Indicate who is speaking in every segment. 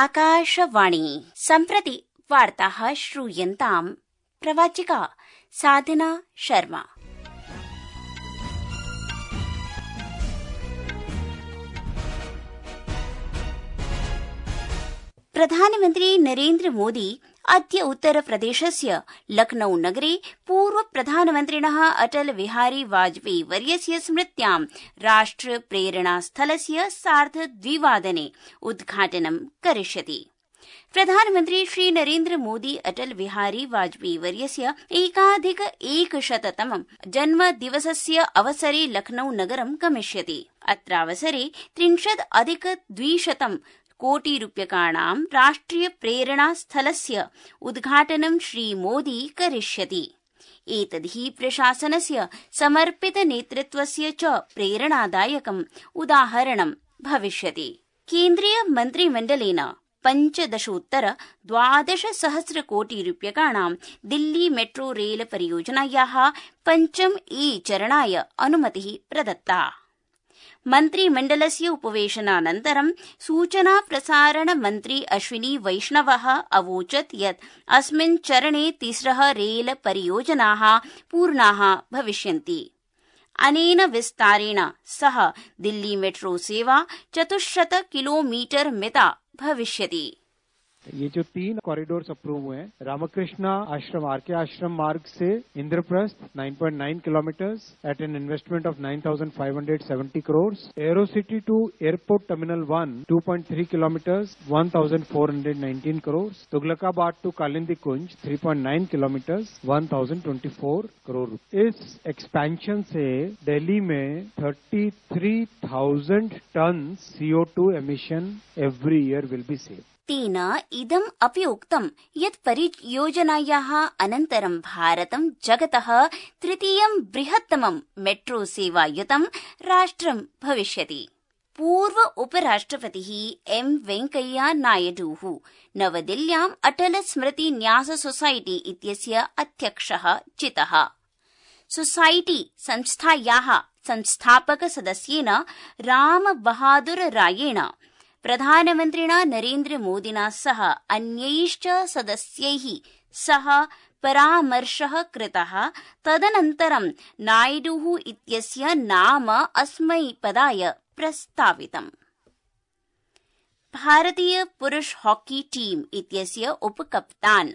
Speaker 1: आकाशवाणी सम्प्रति वार्ताः श्रूयन्ताम् प्रवाचिका साधना शर्मा। प्रधानमन्त्री नरेन्द्र मोदी अद्य उत्तरप्रदेशस्य लखनऊ नगरे पूर्व प्रधानमन्त्रिणः अटल बिहारी वाजपेयी वर्यस्य स्मृत्यां राष्ट्र प्रेरणा स्थलस्य 2:30 उद्घाटनं करिष्यति। प्रधानमन्त्री श्री नरेन्द्र मोदी अटल बिहारी वाजपेयी वर्यस्य 1,100तमं जन्मदिवसस्य अवसरे लखनऊ नगरं गमिष्यति। अत्रावसरे 30,200 कोटिरूप्यकाणां राष्ट्रिय प्रेरणा स्थलस्य उद्घाटनं श्री मोदी करिष्यति। एतद्धि प्रशासनस्य समर्पित नेतृत्वस्य च प्रेरणादायकम् उदाहरणं भविष्यति। केन्द्रीय मन्त्रिमण्डलेन 15,12,000 कोटिरूप्यकाणां दिल्ली मेट्रो रेल परियोजनायाः 5 चरणाय अनुमतिः प्रदत्ता। मन्त्रिमण्डलस्य उपवेशनानन्तरं सूचना प्रसारण मन्त्री अश्विनी वैष्णवः अवोचत् यत् अस्मिन् चरणे 3 रेल परियोजनाः पूर्णाः भविष्यन्ति। अनेन विस्तारेण सह दिल्ली मेट्रो सेवा 400 किलोमीटर मिता भविष्यति।
Speaker 2: ये जो 3 कॉरिडोर्स अप्रूव हुए हैं, रामकृष्णा आश्रम आरके आश्रम मार्ग से Indraprastha 9.9 kilometres at an investment of 9,570 crore, Aerocity to airport terminal 1 2.3 kilometres 1,419 crore, Tughlakabad to Kalindi Kunj 3.9 kilometres 1,024 crore. इस एक्सपेंशन से दिल्ली में 33,000 tonne CO2 emission every year will be saved.
Speaker 1: तेन इदम् अपि उक्तं यत् परियोजनायाः अनन्तरं भारतं जगतः 3. बृहत्तमं मेट्रो सेवायुतं राष्ट्रं भविष्यति। पूर्व उपराष्ट्रपतिः एम वेंकैया नायडुः नवदिल्ल्याम् अटल स्मृति न्यास सोसाइटी इत्यस्य अध्यक्षः चितः। सोसाइटी संस्थायाः संस्थापक सदस्येन राम बहादुर रायेण प्रधानमन्त्रिणा नरेन्द्र मोदिना सह अन्यैश्च सदस्यैः सह परामर्शः कृतः। तदनन्तरं नायडुः इत्यस्य नाम अस्मै पदाय प्रस्तावितम्। भारतीय पुरुष हॉकी टीम इत्यस्य उपकप्तान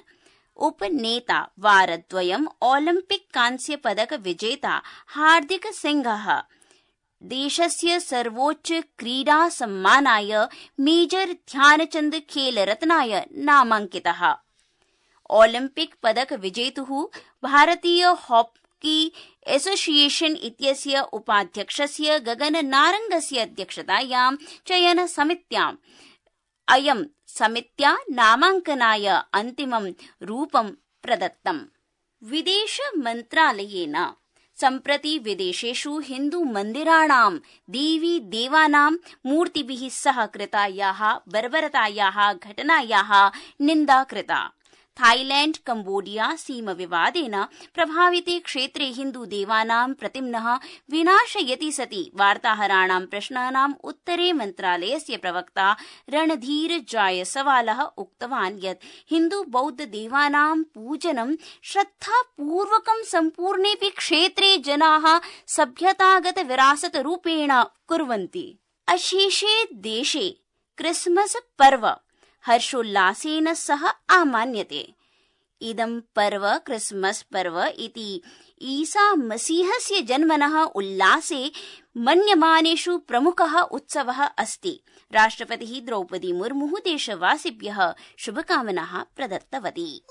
Speaker 1: उपनेता वारद्वयम् ओलिम्पिक कांस्य पदक विजेता हार्दिक सिंहः देशस्य सर्वोच्च क्रीडा सम्मानाय मेजर ध्यानचंद खेल रत्नाय नामाङ्कितः। ओलिम्पिक पदक विजेतुः भारतीय हॉकी एसोसिएशन इत्यस्य उपाध्यक्षस्य गगन नारंगस्य अध्यक्षतायां चयन समित्याम् अयं समित्या नामाङ्कनाय अन्तिमं रूपं प्रदत्तम्। विदेश मन्त्रालयेन सम्प्रति विदेशेषु हिन्दू मन्दिराणां देवी देवानां मूर्तिभिः सह कृतायाः बर्बरतायाः घटनायाः निन्दा कृता। थाईलैंड कंबोडिया सीम विवादेन प्रभाविते क्षेत्रे हिन्दू देवानां प्रतिम्नः विनाशयति सति वार्ताहराणां प्रश्नानाम् उत्तरे मन्त्रालयस्य प्रवक्ता रणधीर जायसवालः उक्तवान् यत् हिन्दू बौद्ध देवानां पूजनं श्रद्धापूर्वकं सम्पूर्णेऽपि क्षेत्रे जनाः सभ्यतागत विरासत रूपेण कुर्वन्ति। अशेषे देशे क्रिसमस पर्व हर्षोल्लासेन सह आमान्यते। इदं पर्व क्रिसमस पर्व इति ईसा मसीहस्य जन्मनः उल्लासे मन्यमानेषु प्रमुखः उत्सवः अस्ति। राष्ट्रपतिः द्रौपदी मुर्मुः देशवासिभ्यः शुभकामनाः प्रदत्तवती।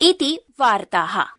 Speaker 1: इति वार्ताः।